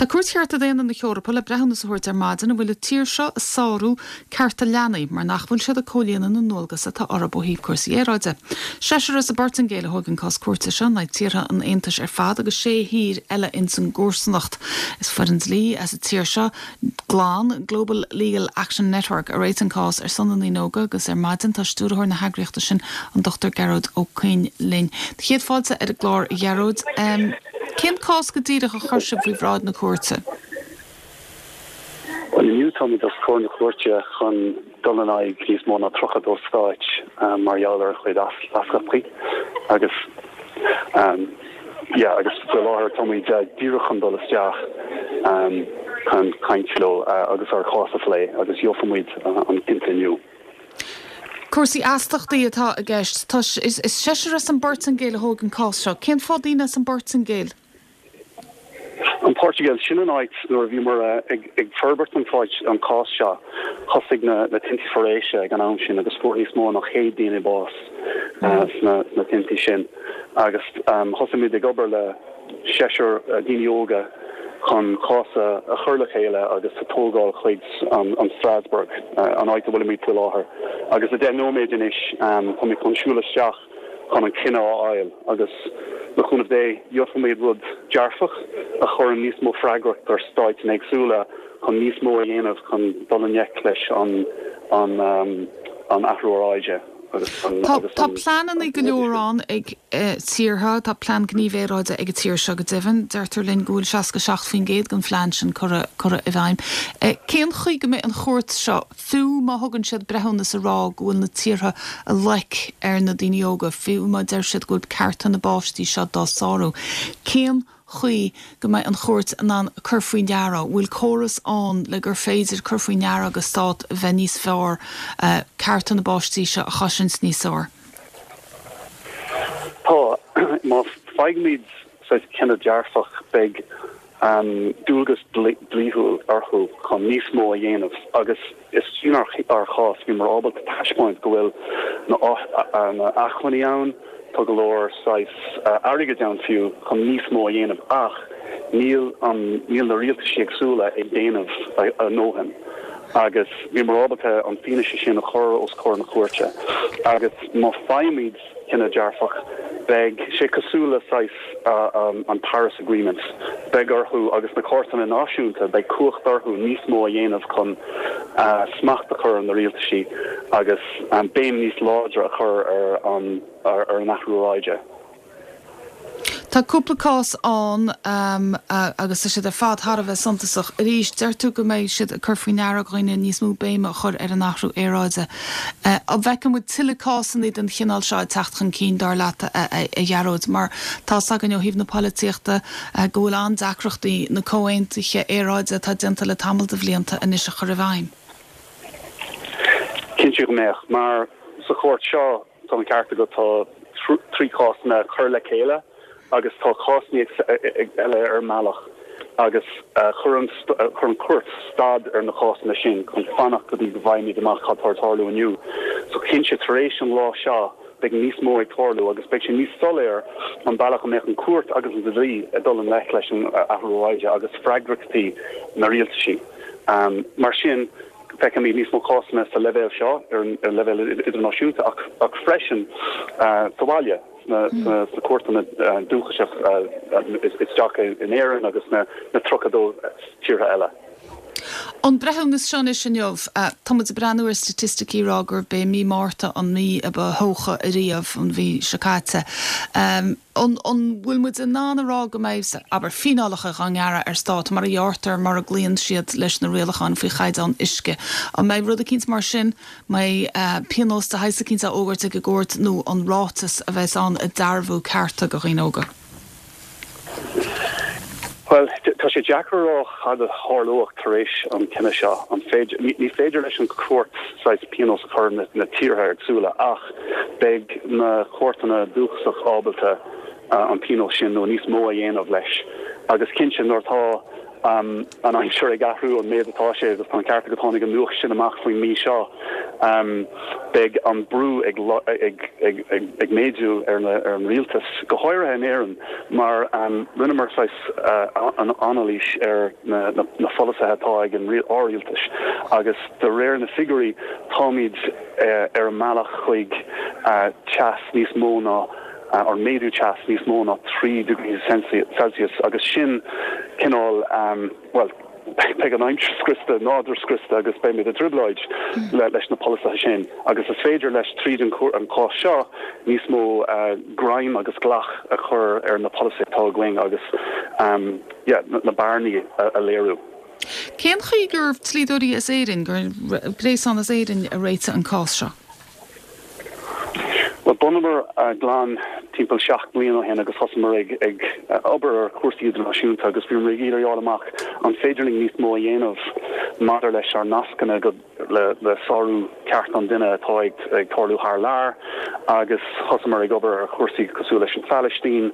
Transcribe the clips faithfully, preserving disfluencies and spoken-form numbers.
Tá Cúirt Chearta Daonna na hEorpa le breithiúnas a thabhairt ar maidin an bhfuil an tír seo ag sárú cearta leanaí mar nach bhfuil siad ag comhlíonadh na ndualgas atá orthu ó thaobh cúrsaí aeráide. Seisear as an bPortaingéil a thóg an cás cúirte seo in aghaidh tíortha an Aontais ar fad agus sé thír eile ins an gcomharsanacht. Is foireann dlí as an tír seo GLAN Global Legal Action Network a réitigh an cás ar son na ndaoine óga agus ar maidin tá stiúrthóir na heagraíochta sin an Dr Gearóid Ó Coinn linn. Céad fáilte ar an gclár a Ghearóid. Um, Cén cás go díreach a chuir sibh faoi bhráid na cúirte? Well inniu táimid os comhair na cúirte chun dul in aghaidh níos mó ná tríocha dó stáit um, mar gheall ar a chuid astaíochtaí agus um, yeah, agus faoi láthair táimid uh, díreach chun dul isteach um, chun caint leo uh, agus ár gcás a phlé agus gheobhaimid uh, an cinneadh inniu. Cúrsaí astaíochtaí atá i gceist is, is seisear as an bPortaingéil a thóg an cás seo. Cén fáth daoine as an bPortaingéil? An Portugal sin an áit nuair a bhíomar ag, ag forbairt an fáid an cás seo thosaigh na, na tinte foraoise ag an am sin agus fuair níos mó ná céad duine bás uh, sna, sna tinte sin. agus um, thosaigh muid ag obair le seisear uh, daoine óga chun cás a chur le chéile agus a tógáil chuig an, an Strasbourg uh, an áit a bhfuilimid faoi láthair. Agus i deich nóiméad anois um, tá chun siúl isteach chun an cinneadh a fháil agus le cúnamh Dé gheobhaimid rud dearfach a chuireann níos mó freagracht ar stáit éagsúla chun níos mó a dhéanamh chun dul i ngleic leis an an um, an athrú aeráide. Tá pleananna go leor ann ag eh, tíortha tá plean gníomh aeráide ag an tír seo go deimhin, deirtear linn go bhfuil seasca seacht faoin gcéad den phlean sin curtha curtha i bhfeidhm. Eh, cén chaoi go mbeidh an chúirt seo fiú má thugann siad breithiúnas a rá go bhfuil na tíortha ag loiceadh ar na daoine óga fiú má deir siad go bhfuil cearta na bpáistí seo dá sárú. Cén chaoi go mbeidh an chúirt in ann cur faoi deara, bhfuil córas ann le gur féidir cur faoi deara agus stát bheith níos fearr uh, cearta na bpáistí seo a chosaint níos fearr. Tá má fhaighimid cinneadh dearfach beidh um, dualgas dlíthiúil orthu chun níos mó a dhéanamh agus is sin ár chás bhíomar ábalta taispeáint go bhfuil na, na acmhainní ann, tá go leor saghas uh, airgead ann fiú chun níos mó a dhéanamh ach níl an níl na rialtais éagsúla ag déanamh a ndóthain. agus bhíomar ábalta an fianaise sin a chur os comhair na cúirte. agus má fhaighimid cinneadh dearfach beidh sé cosúil le saghas uh, um, an Paris Agreement. Beidh orthu agus na cúirteanna náisiúnta beidh cumhacht orthu níos mó a dhéanamh chun uh, smacht a chur ar na rialtaisí agus um, béim níos láidre a chur ar an ar, ar an athrú aeráide. Tá cúpla cás ann um, uh, agus siad ar fad thar a bheith suntasach. Arís deir tú go mbeidh siad cur faoi deara dhaoine níos mó béime a chur ar an athrú aeráide. Uh, a bhfeicfidh muid tuilleadh cásanna den chineál seo teacht chun cinn dar leat a, a, a Ghearóid, mar tá againn ó thaobh na polaitíochta uh, go bhfuil an-deacrachtaí na comhaontuithe aeráide atá déanta le tamall de bhlianta anois a chur i bhfeidhm. Cinnte go mbeidh mar sa chúirt seo tá an ceart agat tá trí cásanna chur le chéile agus tá cásanna eile ar an mbealach agus uh, chuir an chuir an chúirt stad ar na cásanna sin chun fanacht go dtí go bhfaighimid amach cad atá ag tarlú inniu. So cinnte tar éis an lá seo beidh níos mó ag tarlú agus beidh sé níos soiléire an bealach a mbeidh an chúirt agus an dlí ag dul i ngleic leis an athrú aeráide agus freagrachtaí na rialtaisí. Um, mar sin feicimid níos mó cásanna sa leibhéal seo ar ar leibhéal idirnáisiúnta ach, ach freisin uh, sa bhaile na mm. na cúirteanna uh, dúchasach uh, isteach in Éirinn agus na na tríocha dó tíortha eile. An breithiúnas seo inniu tá muid ag breathnú ar staitisticí rá gur b'é mí Márta an mí a ba theocha ariamh an mhí seo caite. Um, an bhfuil muid in ann a rá go mbeidh abair fíneálacha á ngearradh ar stát mar a ghearrtar mar a gcloíonn siad leis na rialacháin faoi chaighdeán uisce. An mbeidh rud eicínt mar sin mbeidh uh, pionós de shaghas eicínt á fhógairt ag an gcúirt nó an ráiteas a bheas ann ag dearbhú cearta do dhaoine óga. Well tá sé deacair rá cad a tharlódh tar éis an cinneadh seo an féidir ní féidir leis an chúirt saghas pionós a chur na, na tíortha éagsúla ach beidh na cúirteanna dúchasach ábalta uh, an pionós sin nó níos mó a dhéanamh leis. Agus cinnte nuair atá um, an aimsir ag athrú an méid atá sé agus tá an ceart go tháinig an nuacht sin amach faoin mí seo um, beidh an brú ag, ag, ag, ag, ag méadú ar, na, ar an rialtas go háirithe in Éirinn mar um, rinneamar uh, an anailís ar na, na, na polasaithe atá ag an rialtas agus de réir na figiúirí táimid uh, ar an mbealach chuig uh, teas níos mó ná uh, ar méadú teas níos mó ná trí degrees Celsius agus sin cineál um, well beidh an aimsir scriosta nádúr scriosta agus beimid i dtrioblóid le leis na polasaithe sin agus is féidir leis tríd an an cás seo níos mó uh, greim agus glac a chur ar na polasaithe atá againn agus um, yeah, na, na bearnaí a, a léiriú. Cén chaoi gur dlíodóirí as Éirinn gur gréasán as Éirinn a réitigh an cás seo? Well bhunaíomar uh, GLAN timpeall seacht mbliana ó shin agus thosaíomar ag ag uh, obair ar chúrsaí idirnáisiúnta agus bhí ag iarraidh fháil amach an féidir linn níos mó a dhéanamh maidir leis ár nascanna go le, le sárú ceart an duine atá ag, ag tarlú thar lear agus thosaíomar ag obair ar chúrsaí cosúil leis an Phalaistín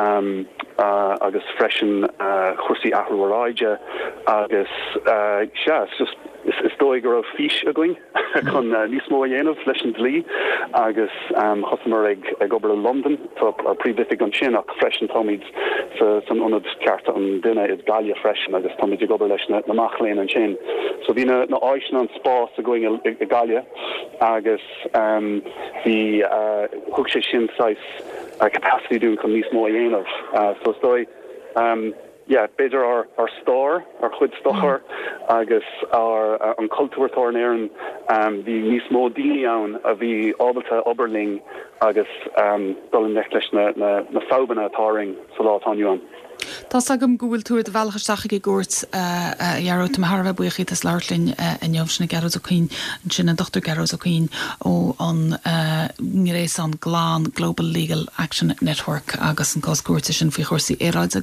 um, uh, agus freisin uh, chúrsaí athrú aeráide agus uh, sea, just is, is dóigh go raibh fís againn chun uh, níos mó a dhéanamh leis an dlí agus um, thosaíomar ag, ag obair i London tá ár bpríomhoifig ansin ach freisin táimid sa, san ionad cearta an duine i Gaillimh freisin agus táimid ag obair leis na, na mic léinn ansin. So bhí na, na áiseanna an spás againn i, i Gaillimh agus um, bhí uh, thug sé sin saghas uh, capacity dúinn chun níos mó a dhéanamh. Uh, so is dóigh um, yeah, b'fhéidir ár ár stair ár chuid stair mm. agus ár uh, an cultúr atá in Éirinn um, bhí níos mó daoine ann a bhí ábalta obair linn agus um, dul i ngleic leis na, na, na fadhbanna atá againn sa lá atá inniu ann. Tá agam go bhfuil tú ar do bhealach isteach ag an gcúirt Gearóid tá thar bheith buíoch as labhairt linn inniu sin Gearóid Ó Cuinn sin an Dr Gearóid Ó Cuinn ó an ngréasán GLAN Global Legal Action Network agus an cás cúirte sin faoi chúrsaí aeráide.